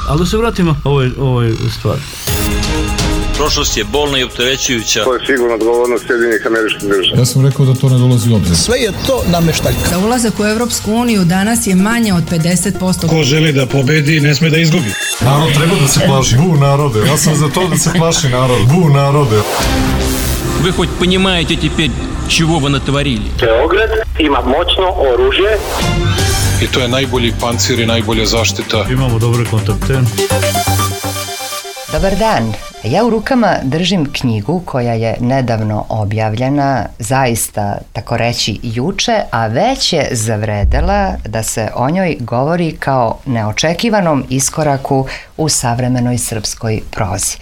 Ali da se vratimo ovoj stvari. Prošlost je bolna i opterećujuća. To je sigurno odgovornost Sjedinjenih Američkih Država. Ja sam rekao da to ne dolazi u obzir. Sve je to nameštaljka. Za ulazak u Evropsku uniju danas je manje od 50%. Ko želi da pobedi, ne sme da izgubi. Narod treba da se plaši. Bu narode. Ja sam za to da se plaši narod. Bu narode. Вы хоть понимаете теперь, чего вы натворили? Beograd ima moćno oružje. I to je najbolji pancir i najbolja zaštita. Imamo dobre kontakte. Dobar dan. Ja u rukama držim knjigu koja je nedavno objavljena, zaista tako reći juče, a već je zavredela da se o njoj govori kao neočekivanom iskoraku u savremenoj srpskoj prozi.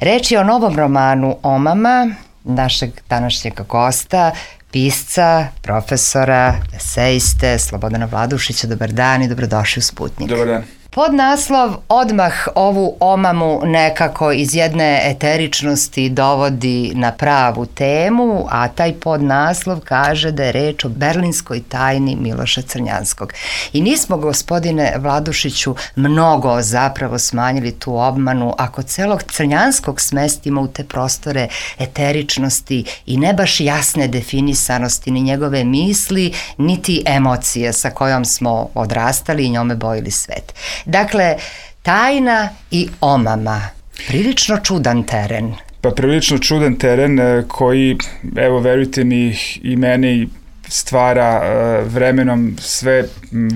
Reč je o novom romanu Omama, našeg današnjeg gosta, pisca, profesora, eseiste Slobodana Vladušića. Dobar dan i dobrodošli u Sputnjik. Dobar dan. Podnaslov odmah ovu omamu nekako iz jedne eteričnosti dovodi na pravu temu, a taj podnaslov kaže da je reč o berlinskoj tajni Miloša Crnjanskog. I nismo, gospodine Vladušiću, mnogo zapravo smanjili tu obmanu ako celog Crnjanskog smestimo u te prostore eteričnosti i ne baš jasne definisanosti ni njegove misli, niti emocije sa kojom smo odrastali i njome bojili svet. Dakle, tajna i omama, prilično čudan teren. Pa prilično čudan teren koji, evo verujte mi, i meni stvara vremenom sve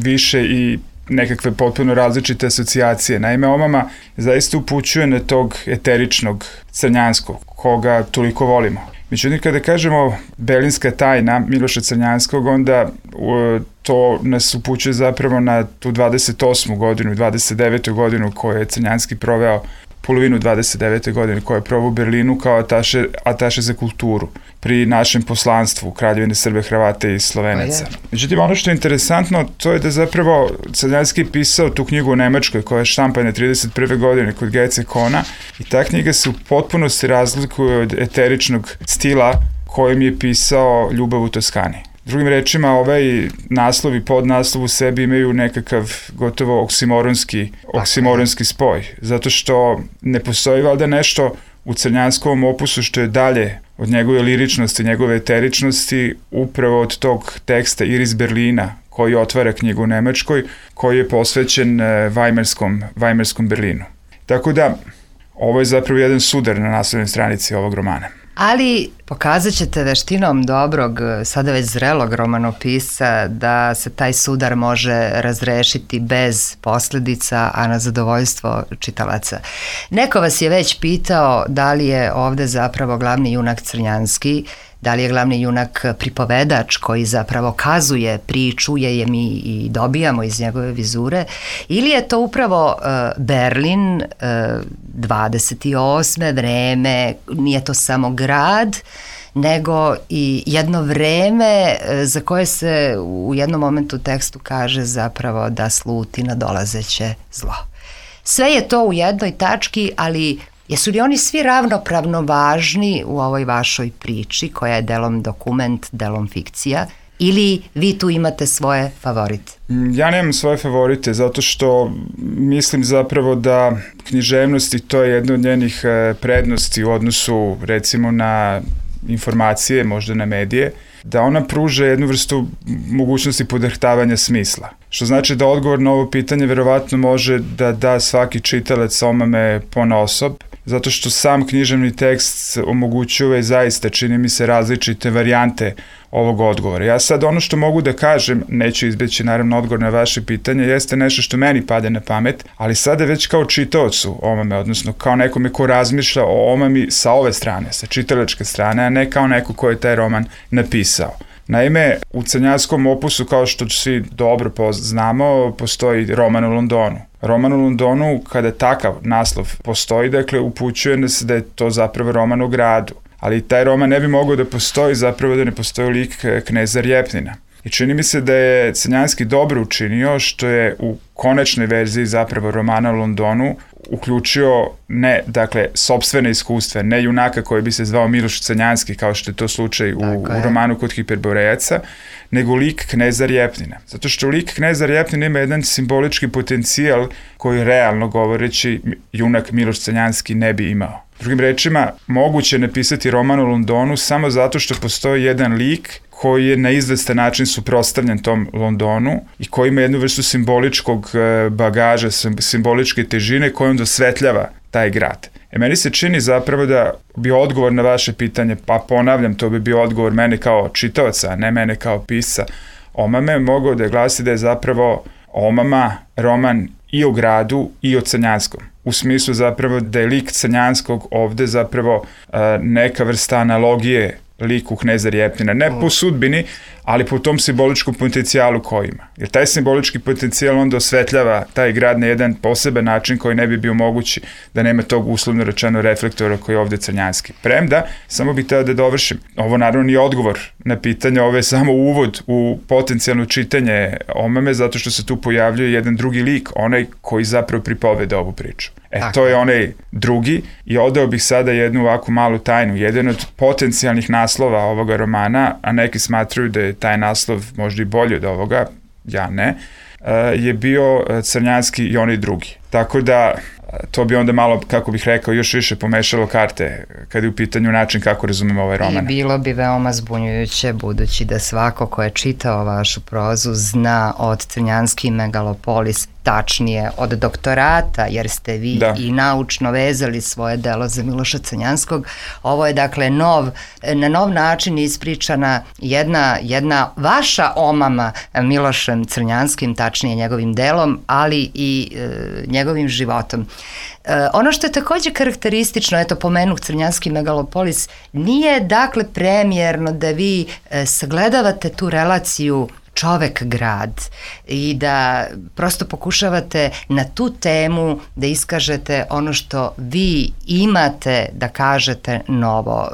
više i nekakve potpuno različite asocijacije. Naime, omama zaista upućuje na tog eteričnog Crnjanskog, koga toliko volimo. Međutim, kada kažemo berlinska tajna Miloša Crnjanskog, onda to nas upućuje zapravo na tu 28. godinu, 29. godinu koju je Crnjanski proveo, polovinu 29. godine koja je proveo u Berlinu kao ataše za kulturu pri našem poslanstvu Kraljevine Srbe, Hrvate i Slovenaca. Međutim, ono što je interesantno, to je da zapravo Crnjanski pisao tu knjigu u Nemačkoj koja je štampana 31. godine kod Gece Kona i ta knjiga se u potpunosti razlikuje od eteričnog stila kojim je pisao Ljubav u Toskani. Drugim rečima, ovaj naslov i podnaslov u sebi imaju nekakav gotovo oksimoronski spoj, zato što ne postoji valjda nešto u Crnjanskovom opusu što je dalje od njegove liričnosti, njegove eteričnosti, upravo od tog teksta Iris Berlina, koji otvara knjigu u Nemačkoj, koji je posvećen Vajmarskom Berlinu. Tako da, ovo je zapravo jedan sudar na naslovnoj stranici ovog romana. Ali pokazat ćete veštinom dobrog, sada već zrelog romanopisca da se taj sudar može razrešiti bez posljedica, a na zadovoljstvo čitalaca. Neko vas je već pitao da li je ovde zapravo glavni junak Crnjanski, da li je glavni junak pripovedač koji zapravo kazuje priču, je mi i dobijamo iz njegove vizure, ili je to upravo Berlin 28. vreme, nije to samo grad, nego i jedno vreme za koje se u jednom momentu u tekstu kaže zapravo da sluti nadolazeće zlo. Sve je to u jednoj tački, ali jesu li oni svi ravnopravno važni u ovoj vašoj priči, koja je delom dokument, delom fikcija, ili vi tu imate svoje favorite? Ja nemam svoje favorite, zato što mislim zapravo da književnost, i to je jedna od njenih prednosti u odnosu recimo na informacije, možda na medije, da ona pruža jednu vrstu mogućnosti podrhtavanja smisla. Što znači da odgovor na ovo pitanje verovatno može da da svaki čitalac omame ponaosob, zato što sam književni tekst omogućuje zaista, čini mi se, različite varijante ovog odgovora. Ja sad ono što mogu da kažem, neću izbeći naravno odgovor na vaše pitanje, jeste nešto što meni pade na pamet, ali sada već kao čitaocu omame, odnosno kao nekome ko razmišlja o omami sa ove strane, sa čitalačke strane, a ne kao neko ko je taj roman napisao. Naime, u Crnjanskom opusu, kao što svi dobro znamo, postoji roman u Londonu. Roman u Londonu, kada takav naslov postoji, dakle, upućuje nas da je to zapravo roman o gradu. Ali taj roman ne bi mogao da postoji zapravo da ne postoji lik kneza Rjepnina. I čini mi se da je Crnjanski dobro učinio što je u konačnoj verziji zapravo romana u Londonu uključio ne, dakle, sopstvene iskustva, ne junaka koji bi se zvao Miloš Crnjanski, kao što je to slučaj u romanu Kod Hiperborejaca, nego lik kneza Rjepnina. Zato što lik kneza Rjepnina ima jedan simbolički potencijal koji realno govoreći junak Miloš Crnjanski ne bi imao. Drugim rečima, moguće je napisati roman o Londonu samo zato što postoji jedan lik koji je na izvestan način suprotstavljen tom Londonu i koji ima jednu vrstu simboličkog bagaža, simboličke težine kojom dosvetljava taj grad. Meni se čini zapravo da bi odgovor na vaše pitanje, pa ponavljam, to bi bio odgovor mene kao čitaoca, a ne mene kao pisca Omame, mogao da glasi da je zapravo Omama roman i o gradu i o Crnjanskom. U smislu zapravo da je lik Crnjanskog ovde zapravo neka vrsta analogije liku kneza Rjepnina. Ne po sudbini, ali po tom simboličkom potencijalu koji ima. Jer taj simbolički potencijal onda osvetljava taj grad na jedan poseban način koji ne bi bio mogući da nema tog uslovno rečeno reflektora koji je ovde Crnjanski. Premda, samo bih teo da dovršim. Ovo naravno nije odgovor na pitanje, ovo je samo uvod u potencijalno čitanje Omame, zato što se tu pojavljuje jedan drugi lik, onaj koji zapravo pripoveda ovu priču. To je onaj drugi i odao bih sada jednu ovako malu tajnu. Jedan od potencijalnih naslova ovoga romana, a neki smatruju da je taj naslov možda i bolji od ovoga, ja ne, je bio Crnjanski i onaj drugi. Tako da to bi onda malo, kako bih rekao, još više pomešalo karte kada je u pitanju način kako razumemo ovaj roman. I bilo bi veoma zbunjujuće, budući da svako ko je čitao vašu prozu zna od Crnjanski megalopolis, tačnije od doktorata, jer ste vi i naučno vezali svoje delo za Miloša Crnjanskog. Ovo je dakle na nov način ispričana jedna vaša omama Milošem Crnjanskim, tačnije njegovim delom, ali i njegovim životom. Ono što je takođe karakteristično, eto pomenuh Crnjanski megalopolis, nije dakle premijerno da vi sagledavate tu relaciju čovek-grad i da prosto pokušavate na tu temu da iskažete ono što vi imate da kažete novo.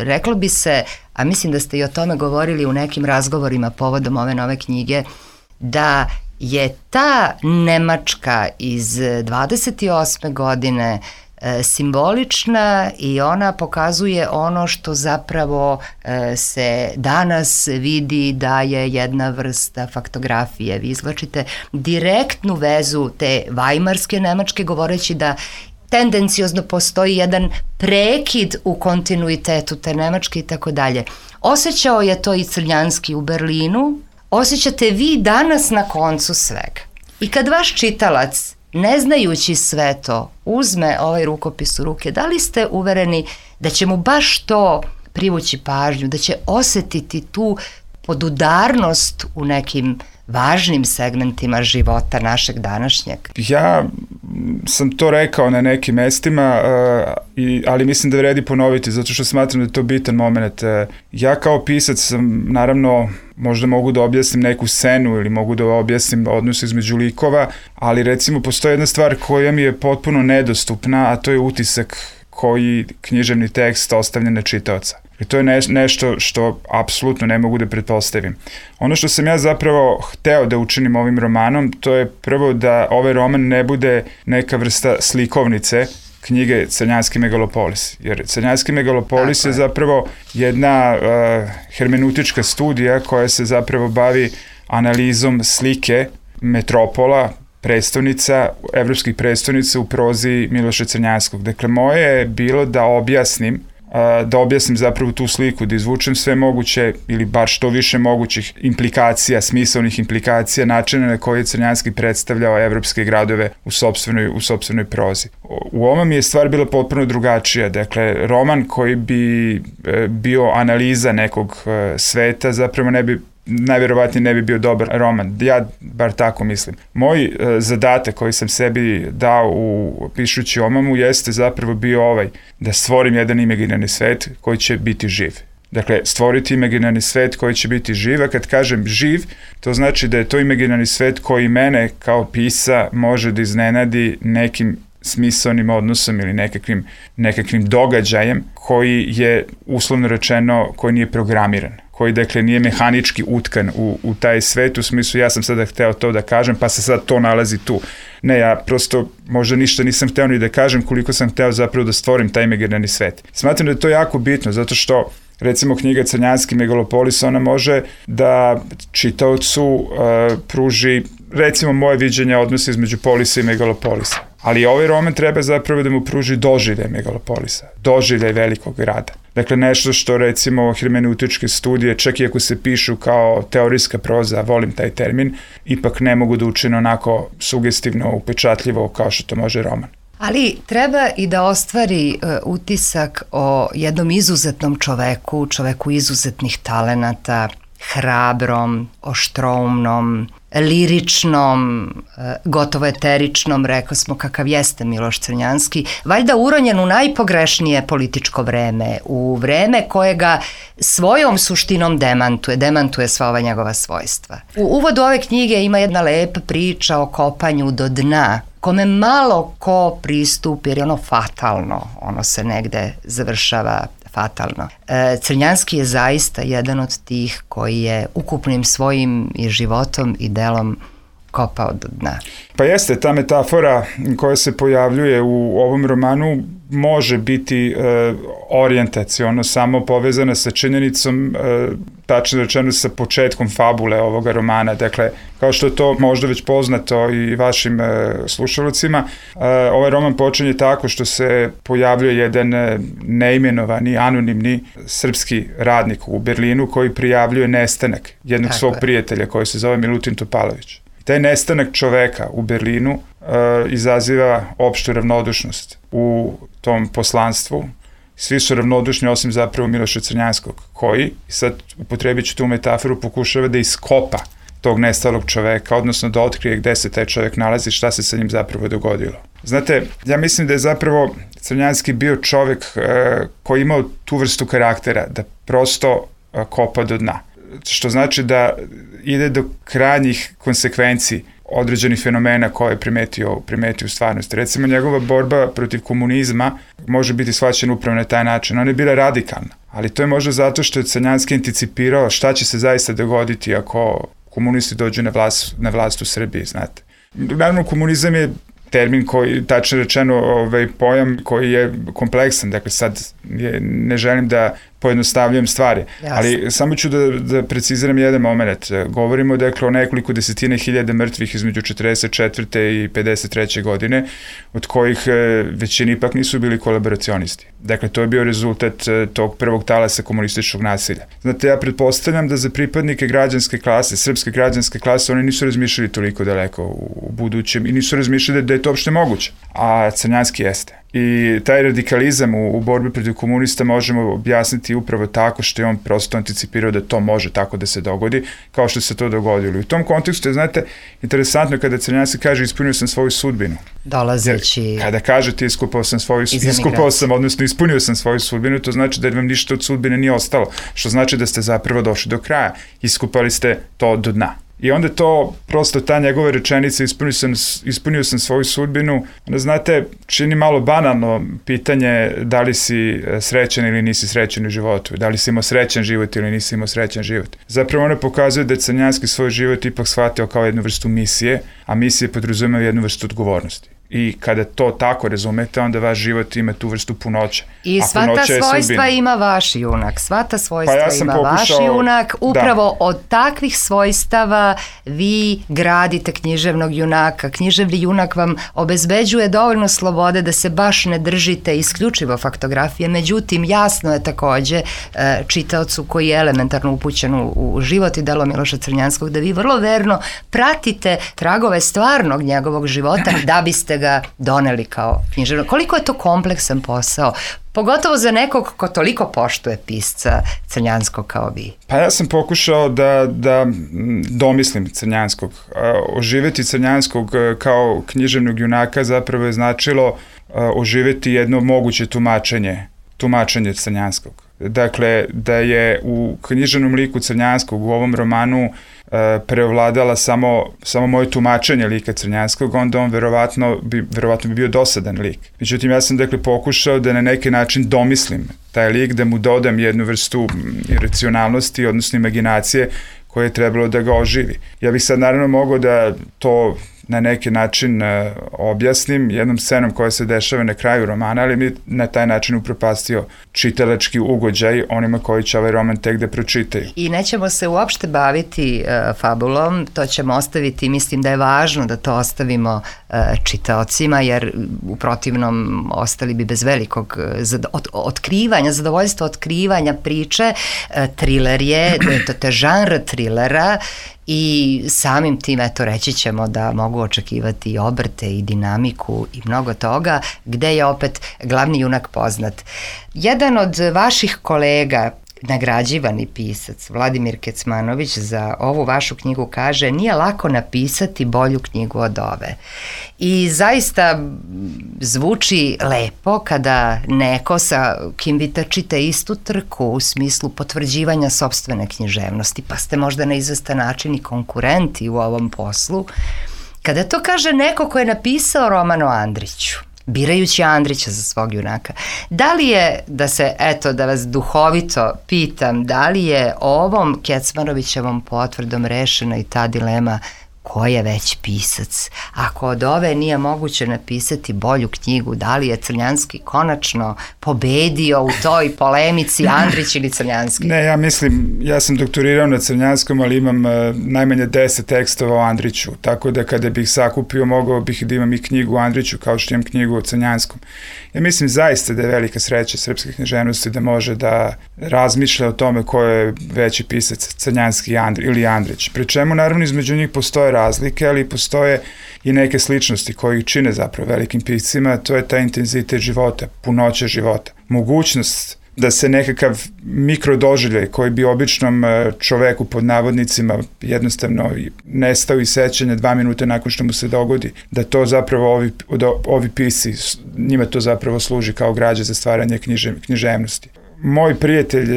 Reklo bi se, a mislim da ste i o tome govorili u nekim razgovorima povodom ove nove knjige, da je ta Nemačka iz 28. godine simbolična i ona pokazuje ono što zapravo se danas vidi da je jedna vrsta faktografije. Vi izvlačite direktnu vezu te vajmarske Nemačke govoreći da tendencijozno postoji jedan prekid u kontinuitetu te Nemačke i tako dalje. Osjećao je to i Crnjanski u Berlinu, osjećate vi danas na koncu svega. I kad vaš čitalac, ne znajući sve to, uzme ovaj rukopis u ruke, da li ste uvereni da će mu baš to privući pažnju, da će osetiti tu podudarnost u nekim važnim segmentima života našeg današnjeg? Ja sam to rekao na nekim mestima, ali mislim da vredi ponoviti, zato što smatram da je to bitan moment. Ja kao pisac sam, naravno, možda mogu da objasnim neku scenu ili mogu da objasnim odnos između likova, ali recimo postoji jedna stvar koja mi je potpuno nedostupna, a to je utisak koji književni tekst ostavlja na čitaoca. I to je nešto što apsolutno ne mogu da pretpostavim. Ono što sam ja zapravo hteo da učinim ovim romanom, to je prvo da ovaj roman ne bude neka vrsta slikovnice knjige Crnjanski megalopolis. Jer Crnjanski megalopolis je zapravo jedna hermeneutička studija koja se zapravo bavi analizom slike metropola, predstavnica, evropskih predstavnica u prozi Miloša Crnjanskog. Dakle, moje je bilo da objasnim zapravo tu sliku, da izvučem sve moguće ili bar što više mogućih implikacija, smisalnih implikacija, načina na koji je Crnjanski predstavljao evropske gradove u sopstvenoj prozi. U ovom je stvar bila potpuno drugačija. Dakle, roman koji bi bio analiza nekog sveta zapravo najverovatnije ne bi bio dobar roman. Ja bar tako mislim. Moj zadatak koji sam sebi dao pišući Omamu jeste zapravo bio da stvorim jedan imaginarni svet koji će biti živ. Dakle, stvoriti imaginarni svet koji će biti živ, a kad kažem živ, to znači da je to imaginarni svet koji mene kao pisa može da iznenadi nekim smisalnim odnosom ili nekakvim događajem koji je, uslovno rečeno, koji nije programiran, koji dakle nije mehanički utkan u taj svet, u smislu ja sam sada hteo to da kažem pa se sad to nalazi tu. Ne, ja prosto možda ništa nisam hteo ni da kažem koliko sam hteo zapravo da stvorim taj imaginarni svet. Smatram da je to jako bitno, zato što recimo knjiga Crnjanski Megalopolis, ona može da čitaocu pruži recimo moje viđenje odnosa između polisa i megalopolisa. Ali ovaj roman treba zapravo da mu pruži doživljaj megalopolisa, doživljaj velikog grada. Dakle, nešto što recimo hermeneutičke studije, čak i ako se pišu kao teorijska proza, volim taj termin, ipak ne mogu da učine onako sugestivno, upečatljivo kao što to može roman. Ali treba i da ostvari utisak o jednom izuzetnom čoveku izuzetnih talenata, hrabrom, oštroumnom, liričnom, gotovo eteričnom, rekao smo kakav jeste Miloš Crnjanski, valjda uronjen u najpogrešnije političko vreme, u vreme koje ga svojom suštinom demantuje sva ova njegova svojstva. U uvodu ove knjige ima jedna lepa priča o kopanju do dna, kome malo ko pristupi, jer je ono fatalno, ono se negde završava fatalno. Crnjanski je zaista jedan od tih koji je ukupnim svojim i životom i delom kopao do dna. Pa jeste, ta metafora koja se pojavljuje u ovom romanu može biti orijentaciono samo povezana sa činjenicom, tačno rečeno sa početkom fabule ovoga romana. Dakle, kao što je to možda već poznato i vašim slušalcima, ovaj roman počinje tako što se pojavljuje jedan neimenovani, anonimni srpski radnik u Berlinu koji prijavljuje nestanak jednog svog prijatelja koji se zove Milutin Topalović. Taj nestanak čoveka u Berlinu izaziva opštu ravnodušnost u tom poslanstvu. Svi su ravnodušni osim zapravo Miloša Crnjanskog, koji, sad upotrebit ću tu metaforu, pokušava da iskopa tog nestalog čoveka, odnosno da otkrije gde se taj čovek nalazi, šta se sa njim zapravo dogodilo. Znate, ja mislim da je zapravo Crnjanski bio čovek koji je imao tu vrstu karaktera, da prosto kopa do dna. Što znači da ide do krajnjih konsekvenciji određenih fenomena koje je primetio u stvarnosti. Recimo, njegova borba protiv komunizma može biti shvaćena upravo na taj način. Ona je bila radikalna, ali to je možda zato što je Crnjanski anticipirao šta će se zaista dogoditi ako komunisti dođu na vlast u Srbiji, znate. Naravno, komunizam je termin koji, tačno rečeno, pojam koji je kompleksan, dakle sad ne želim da pojednostavljujem stvari, ali samo ću da preciziram jedan moment. Govorimo dakle o nekoliko desetina hiljada mrtvih između 44. i 53. godine, od kojih većini ipak nisu bili kolaboracionisti. Dakle, to je bio rezultat tog prvog talasa komunističkog nasilja. Znate, ja pretpostavljam da za pripadnike građanske klase, srpske građanske klase, oni nisu razmišljali toliko daleko u budućem i nisu razmišljali da je to uopšte moguće, a Crnjanski jeste. I taj radikalizam u borbi protiv komunista možemo objasniti upravo tako što je on prosto anticipirao da to može tako da se dogodi, kao što se to dogodilo. I u tom kontekstu je, znate, interesantno kada Crnjanski kaže ispunio sam svoju sudbinu. Dolazeći... Kada kažete ispunio sam svoju sudbinu, to znači da vam ništa od sudbine nije ostalo, što znači da ste zapravo došli do kraja. Iskupali ste to do dna. I onda to, prosto ta njegova rečenica, ispunio sam svoju sudbinu, onda znate, čini malo banalno pitanje da li si srećan ili nisi srećan u životu, da li si imao srećan život ili nisi imao srećan život. Zapravo ona pokazuje da je Crnjanski svoj život ipak shvatio kao jednu vrstu misije, a misije podrazumeva jednu vrstu odgovornosti. I kada to tako razumete, onda vaš život ima tu vrstu punoće. I sva ta svojstva ima vaš junak. Sva ta svojstva ima vaš junak. Upravo od takvih svojstava vi gradite književnog junaka. Književni junak vam obezbeđuje dovoljno slobode da se baš ne držite isključivo faktografije. Međutim, jasno je takođe čitaocu koji je elementarno upućen u život i delo Miloša Crnjanskog, da vi vrlo verno pratite tragove stvarnog njegovog života da biste ga doneli kao književnog. Koliko je to kompleksan posao, pogotovo za nekog ko toliko poštuje pisca Crnjanskog kao vi? Pa ja sam pokušao da domislim Crnjanskog. Oživeti Crnjanskog kao književnog junaka zapravo je značilo oživeti jedno moguće tumačenje Crnjanskog. Dakle, da je u književnom liku Crnjanskog u ovom romanu preovladala samo moje tumačenje lika Crnjanskog, onda on verovatno bi bio dosadan lik. Međutim, ja sam dakle pokušao da na neki način domislim taj lik, da mu dodam jednu vrstu iracionalnosti, odnosno imaginacije koje je trebalo da ga oživi. Ja bih sad naravno mogao da to na neki način objasnim jednom scenom koja se dešava na kraju romana, ali mi na taj način upropastio čitalački ugođaj onima koji će ovaj roman tek da pročitaju. I nećemo se uopšte baviti fabulom, to ćemo ostaviti, mislim da je važno da to ostavimo čitaocima, jer u protivnom ostali bi bez velikog otkrivanja, zadovoljstva otkrivanja priče. Triler je, to je žanr trilera i samim tim, eto, reći ćemo da mogu očekivati i obrte i dinamiku i mnogo toga, gde je opet glavni junak poznat. Jedan od vaših kolega, nagrađivani pisac Vladimir Kecmanović, za ovu vašu knjigu kaže: nije lako napisati bolju knjigu od ove. I zaista zvuči lepo kada neko sa kim vi trčite istu trku u smislu potvrđivanja sopstvene književnosti, pa ste možda na izvestan način i konkurenti u ovom poslu, kada to kaže neko ko je napisao roman o Andriću, birajući Andrića za svog junaka. Da li je, da vas duhovito pitam, da li je ovom Kecmanovićevom potvrdom rešena i ta dilema ko je već pisac? Ako od ove nije moguće napisati bolju knjigu, da li je Crnjanski konačno pobedio u toj polemici, Andrić ili Crnjanski? Ne, ja mislim, ja sam doktorirao na Crnjanskom, ali imam najmanje 10 tekstova o Andriću, tako da kada bih sakupio, mogao bih da imam i knjigu o Andriću kao što imam knjigu o Crnjanskom. Ja mislim zaista da je velika sreća srpske književnosti da može da razmišlja o tome ko je veći pisac, Crnjanski ili Andrić. Pri čemu, naravno, između njih postoje razlike, ali postoje i neke sličnosti koje ih čine zapravo velikim piscima, to je taj intenzitet života, punoća života. Mogućnost da se nekakav mikrodoživljaj koji bi običnom čoveku pod navodnicima jednostavno nestao iz sećanja 2 minuta nakon što mu se dogodi, da to zapravo ovi pisci, njima to zapravo služi kao građa za stvaranje književnosti. Moj prijatelj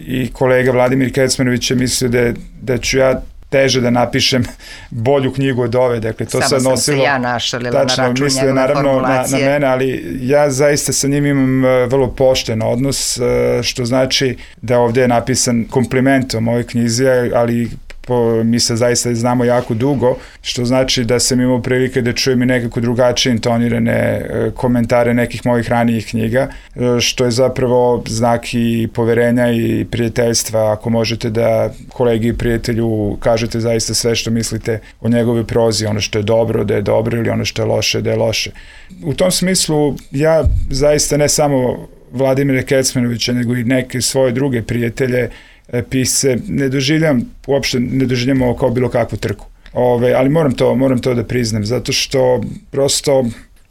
i kolega Vladimir Kecmanović je mislio da ću ja teže da napišem bolju knjigu od ove, dakle to sad nosilo... Samo sam se ja našalila na račun njegove formulacije. Na mene, ali ja zaista sa njim imam vrlo pošten odnos, što znači da ovde je napisan kompliment o mojoj knjizi, ali mi se zaista znamo jako dugo, što znači da sam imao prilike da čujem i nekako drugačije intonirane komentare nekih mojih ranijih knjiga, što je zapravo znak i poverenja i prijateljstva, ako možete da kolegi i prijatelju kažete zaista sve što mislite o njegovoj prozi, ono što je dobro da je dobro ili ono što je loše da je loše. U tom smislu ja zaista ne samo Vladimira Kecmanovića, nego i neke svoje druge prijatelje, pisce, ne doživljam ovo kao bilo kakvu trku. Ali moram to da priznam, zato što prosto...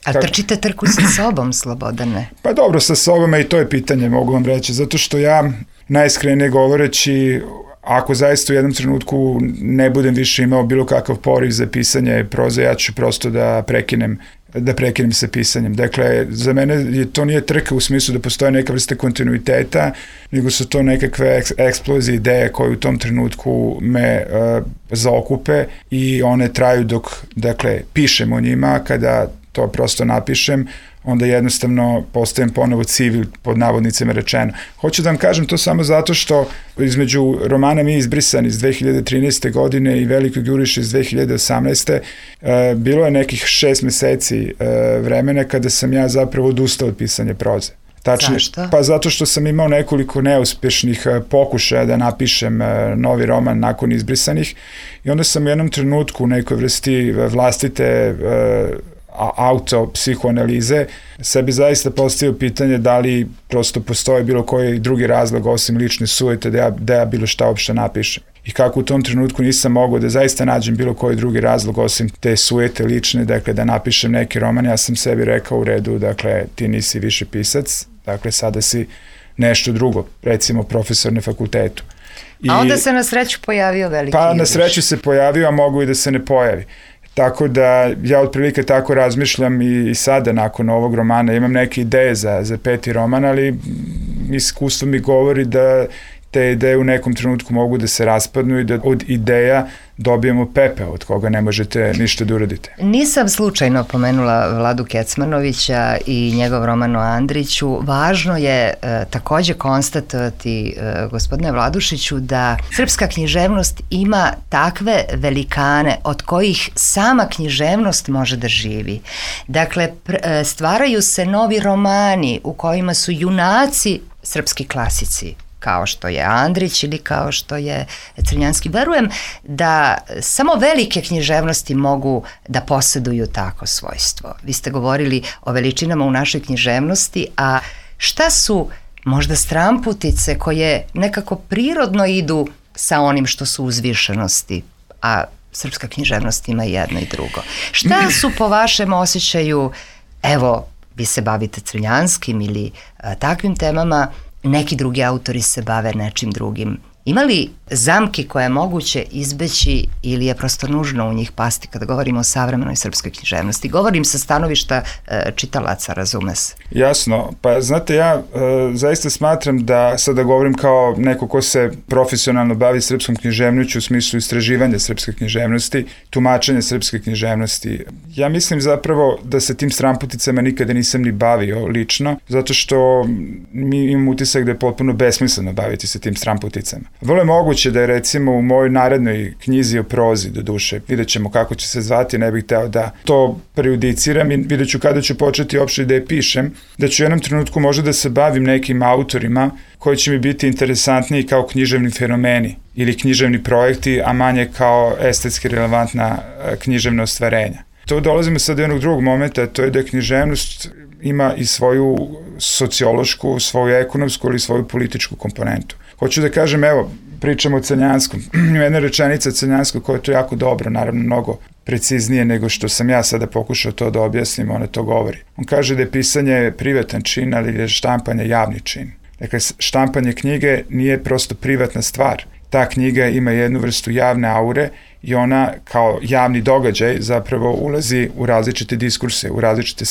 A trčite trku sa sobom, Slobodane? Pa dobro, sa sobom, i to je pitanje, mogu vam reći, zato što ja, najiskrenije govoreći, ako zaista u jednom trenutku ne budem više imao bilo kakav poriv za pisanje proze, ja ću prosto da prekinem sa pisanjem. Dakle, za mene to nije trka u smislu da postoje neka vrsta kontinuiteta, nego su to nekakve eksplozije ideje koje u tom trenutku me zaokupe i one traju dok, dakle, pišem o njima. Kada to prosto napišem, onda jednostavno postajem ponovo civil, pod navodnicima rečeno. Hoću da vam kažem to samo zato što između romana Mi izbrisani iz 2013. godine i Velikog juriša iz 2018. Bilo je nekih 6 meseci vremena kada sam ja zapravo odustao od pisanja proze. Zašto? Pa zato što sam imao nekoliko neuspešnih pokušaja da napišem novi roman nakon izbrisanih i onda sam u jednom trenutku u nekoj vrsti vlastite autopsihoanalize sebi zaista postavio pitanje da li prosto postoji bilo koji drugi razlog osim lične sujete da ja bilo šta uopšte napišem. I kako u tom trenutku nisam mogao da zaista nađem bilo koji drugi razlog osim te sujete lične, dakle da napišem neki roman, ja sam sebi rekao u redu, dakle ti nisi više pisac, dakle sada si nešto drugo, recimo profesor na fakultetu. A onda se na sreću pojavio Veliki juriš. Pa na sreću se pojavio, a mogu i da se ne pojavi. Tako da ja otprilike tako razmišljam i sada nakon ovog romana. Imam neke ideje za 5. roman, ali iskustvo mi govori da te ideje u nekom trenutku mogu da se raspadnu i da od ideja dobijemo pepeo od koga ne možete ništa da uradite. Nisam slučajno pomenula Vladu Kecmanovića i njegov roman o Andriću. Važno je takođe konstatovati, gospodine Vladušiću, da srpska književnost ima takve velikane od kojih sama književnost može da živi. Dakle, stvaraju se novi romani u kojima su junaci srpski klasici, kao što je Andrić ili kao što je Crnjanski. Verujem da samo velike književnosti mogu da poseduju tako svojstvo. Vi ste govorili o veličinama u našoj književnosti, a šta su možda stramputice koje nekako prirodno idu sa onim što su uzvišenosti, a srpska književnost ima jedno i drugo. Šta su po vašem osjećaju, evo, vi se bavite Crnjanskim ili takvim temama, neki drugi autori se bave nečim drugim. Ima li zamki koje je moguće izbeći ili je prosto nužno u njih pasti kada govorimo o savremenoj srpskoj književnosti? Govorim sa stanovišta čitalaca, razume se. Jasno, pa znate, ja zaista smatram da, sada govorim kao neko ko se profesionalno bavi srpskom književnošću u smislu istraživanja srpske književnosti, tumačenja srpske književnosti. Ja mislim zapravo da se tim stramputicama nikada nisam ni bavio lično, zato što mi imam utisak da je potpuno besmisleno baviti se tim stramputicama. Vrlo je moguće da je recimo u mojoj narednoj knjizi o prozi, do duše, vidjet ćemo kako će se zvati, ne bih hteo da to prejudiciram i vidjet ću kada ću početi uopšte da je pišem, da ću u jednom trenutku možda da se bavim nekim autorima koji će mi biti interesantniji kao književni fenomeni ili književni projekti, a manje kao estetski relevantna književna ostvarenja. To dolazimo sad do jednog drugog momenta, to je da književnost ima i svoju sociološku, svoju ekonomsku ili svoju političku komponentu. Hoću da kažem, evo, pričamo o Crnjanskom. Jedna rečenica Crnjanskog koja je to jako dobro, naravno mnogo preciznije nego što sam ja sada pokušao to da objasnim, ona to govori. On kaže da je pisanje privatan čin, ali je štampanje javni čin. Dakle, štampanje knjige nije prosto privatna stvar. Ta knjiga ima jednu vrstu javne aure i ona kao javni događaj zapravo ulazi u različite diskurse, u različite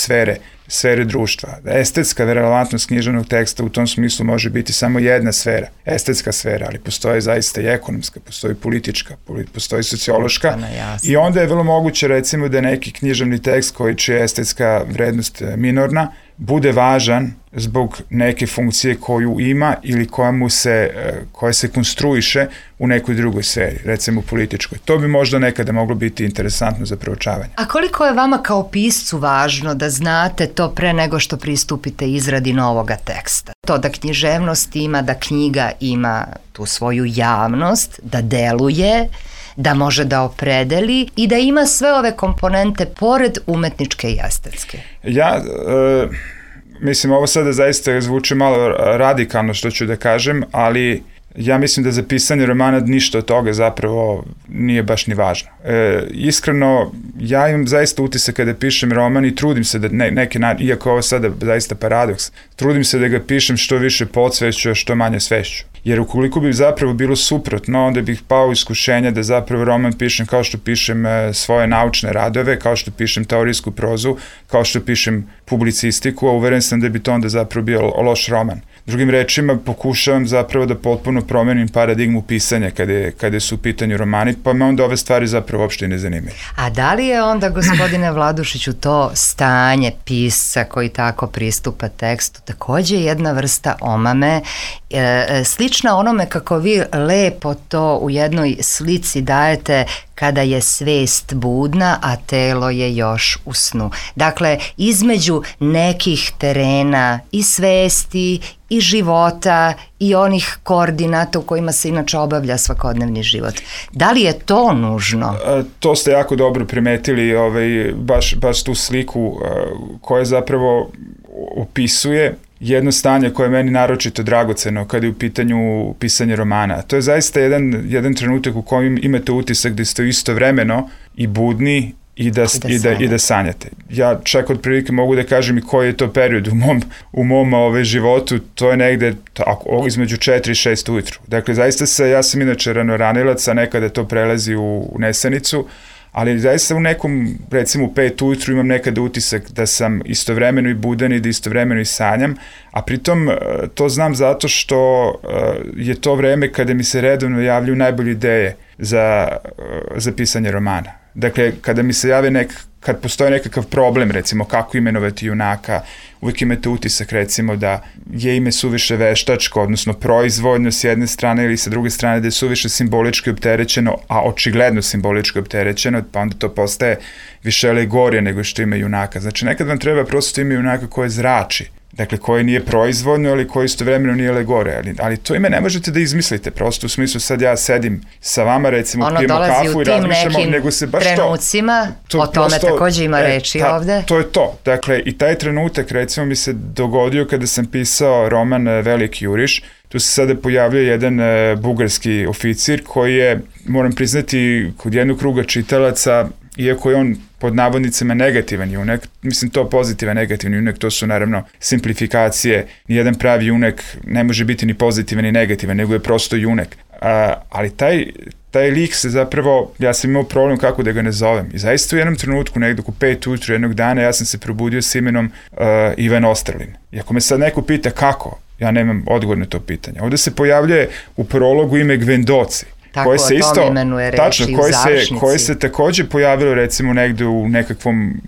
sfere društva. Estetska relevantnost književnog teksta u tom smislu može biti samo jedna sfera, estetska sfera, ali postoje zaista i ekonomska, postoji politička, postoji sociološka i onda je vrlo moguće recimo da neki književni tekst koji čija je estetska vrednost minorna bude važan zbog neke funkcije koju ima ili koja se konstruiše u nekoj drugoj sferi, recimo političkoj. To bi možda nekada moglo biti interesantno za proučavanje. A koliko je vama kao piscu važno da znate to pre nego što pristupite izradi novoga teksta? To da književnost ima, da knjiga ima tu svoju javnost, da deluje, da može da opredeli i da ima sve ove komponente pored umetničke i estetske. Mislim, ovo sada zaista zvuči malo radikalno što ću da kažem, ali ja mislim da za pisanje romana ništa od toga zapravo nije baš ni važno. Iskreno, ja imam zaista utisak kada pišem roman i trudim se da iako ovo sada zaista paradoks, trudim se da ga pišem što više podsvešću, a što manje svešću. Jer ukoliko bi zapravo bilo suprotno, onda bih pao u iskušenja da zapravo roman pišem kao što pišem svoje naučne radove, kao što pišem teorijsku prozu, kao što pišem publicistiku, a uveren sam da bi to onda zapravo bio loš roman. Drugim rečima, pokušavam zapravo da potpuno promenim paradigmu pisanja kada su u pitanju romani, pa me onda ove stvari zapravo uopšte ne zanimaju. A da li je onda, gospodine Vladušiću, to stanje pisca koji tako pristupa tekstu takođe jedna vrsta omame, slična onome kako vi lepo to u jednoj slici dajete kada je svest budna, a telo je još u snu. Dakle, između nekih terena i svesti i života i onih koordinata u kojima se inače obavlja svakodnevni život. Da li je to nužno? To ste jako dobro primetili, baš tu sliku koja zapravo opisuje jedno stanje koje je meni naročito dragoceno kada je u pitanju pisanje romana. To je zaista jedan trenutak u kojem imate utisak da ste istovremeno i budni i da sanjate. Ja čak otprilike mogu da kažem i koji je to period u mom životu, to je negde između 4 i 6 ujutru. Dakle, zaista ja sam inače ranoranilac, a nekada to prelazi u nesanicu, ali zaista u nekom, recimo u 5 ujutru imam nekada utisak da sam istovremeno i budan i da istovremeno i sanjam, a pritom to znam zato što je to vreme kada mi se redovno javljaju najbolje ideje za pisanje romana. Dakle, kada mi se jave kad postoji nekakav problem, recimo kako imenovati junaka, uvijek imate utisak recimo da je ime suviše veštačko, odnosno proizvoljno s jedne strane ili sa druge strane da je suviše simbolički opterećeno, a očigledno simbolički opterećeno, pa onda to postaje više alegorija nego što ime junaka. Znači, nekad vam treba prosto ime junaka koje zrači. Dakle, koje nije proizvodno, ali koje istovremeno nije alegorija. Ali to ime ne možete da izmislite, prosto u smislu sad ja sedim sa vama, recimo, pijemo kafu i razmišljamo, nego se baš trenucima, o tome prosto, takođe ima reči ovde. To je to. Dakle, i taj trenutak, recimo, mi se dogodio kada sam pisao roman Veliki juriš. Tu se sada pojavljuje jedan bugarski oficir koji je, moram priznati, kod jednog kruga čitalaca, iako je on pod navodnicima negativan junak, mislim to pozitivan negativan junak, to su naravno simplifikacije, nijedan pravi junak ne može biti ni pozitivan ni negativan, nego je prosto junak. Ali taj lik se zapravo, ja sam imao problem kako da ga ne zovem. I zaista u jednom trenutku, nekdo oko 5 ujutru jednog dana, ja sam se probudio s imenom Ivan Ostralin. I ako me sad neko pita kako, ja nemam odgovor na to pitanje. Ovde se pojavljuje u prologu ime Gvendoci. Tako, koje se isto imenuje reči u završnici. Koje se takođe pojavilo recimo negde u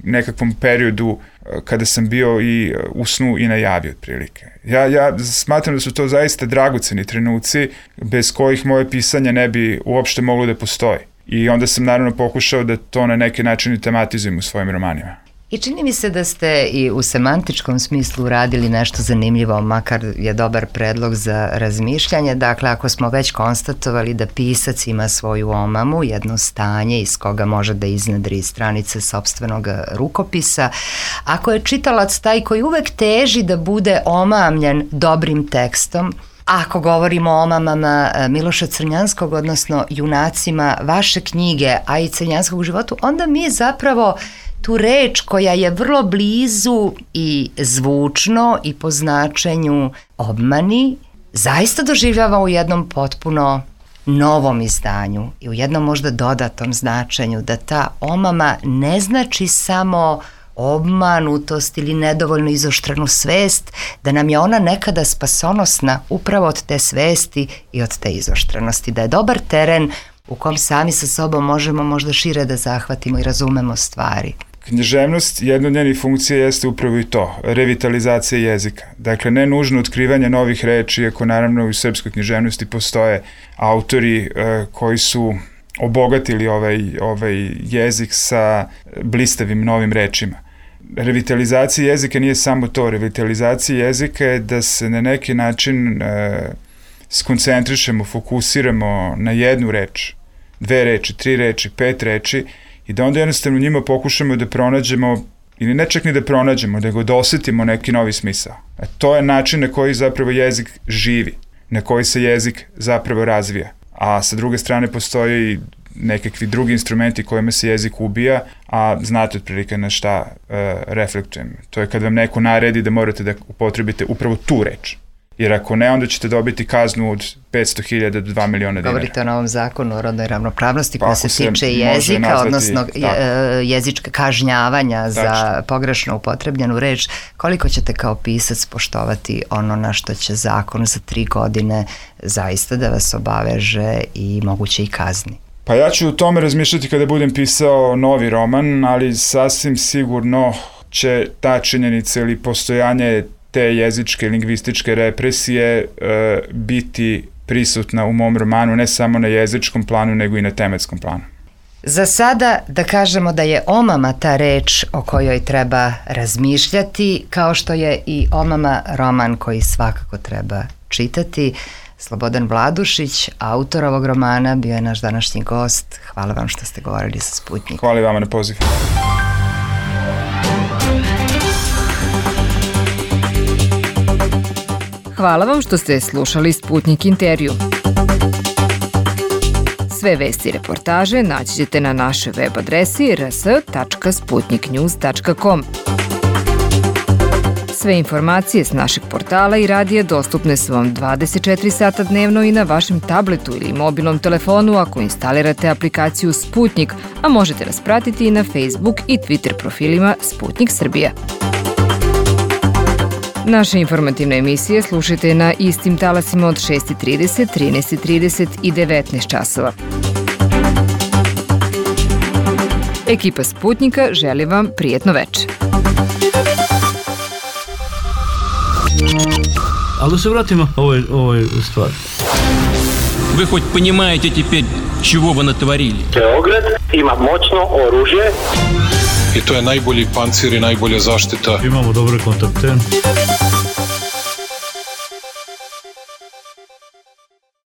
nekakvom periodu kada sam bio i u snu i najavio otprilike. Ja smatram da su to zaista dragoceni trenuci bez kojih moje pisanje ne bi uopšte moglo da postoji. I onda sam naravno pokušao da to na neki način i tematizujem u svojim romanima. I čini mi se da ste i u semantičkom smislu uradili nešto zanimljivo, makar je dobar predlog za razmišljanje. Dakle, ako smo već konstatovali da pisac ima svoju omamu, jedno stanje iz koga može da iznedri stranice sopstvenog rukopisa, ako je čitalac taj koji uvek teži da bude omamljen dobrim tekstom, ako govorimo o omamama Miloša Crnjanskog, odnosno junacima vaše knjige, a i Crnjanskog životu, onda mi zapravo tu reč koja je vrlo blizu i zvučno i po značenju obmani, zaista doživljava u jednom potpuno novom izdanju i u jednom možda dodatnom značenju, da ta omama ne znači samo obmanutost ili nedovoljno izoštrenu svest, da nam je ona nekada spasonosna upravo od te svesti i od te izoštrenosti, da je dobar teren u kom sami sa sobom možemo možda šire da zahvatimo i razumemo stvari. Književnost, jedna od njenih funkcija jeste upravo i to, revitalizacija jezika. Dakle, ne nužno otkrivanje novih reči, iako naravno u srpskoj književnosti postoje autori koji su obogatili ovaj jezik sa blistavim novim rečima. Revitalizacija jezika nije samo to, revitalizacija jezika je da se na neki način skoncentrišemo, fokusiramo na jednu reč, 2 reči, 3 reči, 5 reči i da onda jednostavno njima pokušamo da pronađemo, ili ne čak ni da pronađemo, nego da osetimo neki novi smisao. To je način na koji zapravo jezik živi, na koji se jezik zapravo razvija. A sa druge strane postoje i nekakvi drugi instrumenti kojima se jezik ubija, a znate otprilike na šta reflektujem. To je kad vam neko naredi da morate da upotrebite upravo tu reč. Jer ako ne, onda ćete dobiti kaznu od 500.000 do 2 miliona dinara. Govorite o novom zakonu o rodnoj ravnopravnosti koja se tiče jezika, odnosno jezička kažnjavanja za pogrešno upotrebljenu reč. Koliko ćete kao pisac poštovati ono na što će zakon za 3 godine zaista da vas obaveže i moguće i kazni? Pa ja ću o tome razmišljati kada budem pisao novi roman, ali sasvim sigurno će ta činjenica ili postojanje te jezičke i lingvističke represije biti prisutna u mom romanu, ne samo na jezičkom planu, nego i na tematskom planu. Za sada da kažemo da je omama ta reč o kojoj treba razmišljati, kao što je i omama roman koji svakako treba čitati. Slobodan Vladušić, autor ovog romana, bio je naš današnji gost. Hvala vam što ste govorili sa Sputnjikom. Hvala i vama na pozivu. Hvala vam što ste slušali Sputnjik intervju. Sve vesti i reportaže naći ćete na našoj web adresi rs.sputniknews.com. Sve informacije s našeg portala i radija dostupne su vam 24 sata dnevno i na vašem tabletu ili mobilnom telefonu ako instalirate aplikaciju Sputnik, a možete nas pratiti i na Facebook i Twitter profilima Sputnik Srbija. Naše informativne emisije slušajte na istim talasima od 6:30, 13:30 i 19 časova. Ekipa Sputnika želi vam prijetno večer. Ali da se vratimo ovoj stvari. Вы хоть понимаете теперь, чего вы натворили? Beograd ima moćno oružje. I to je najbolji pancir i najbolja zaštita. Imamo dobre kontakte.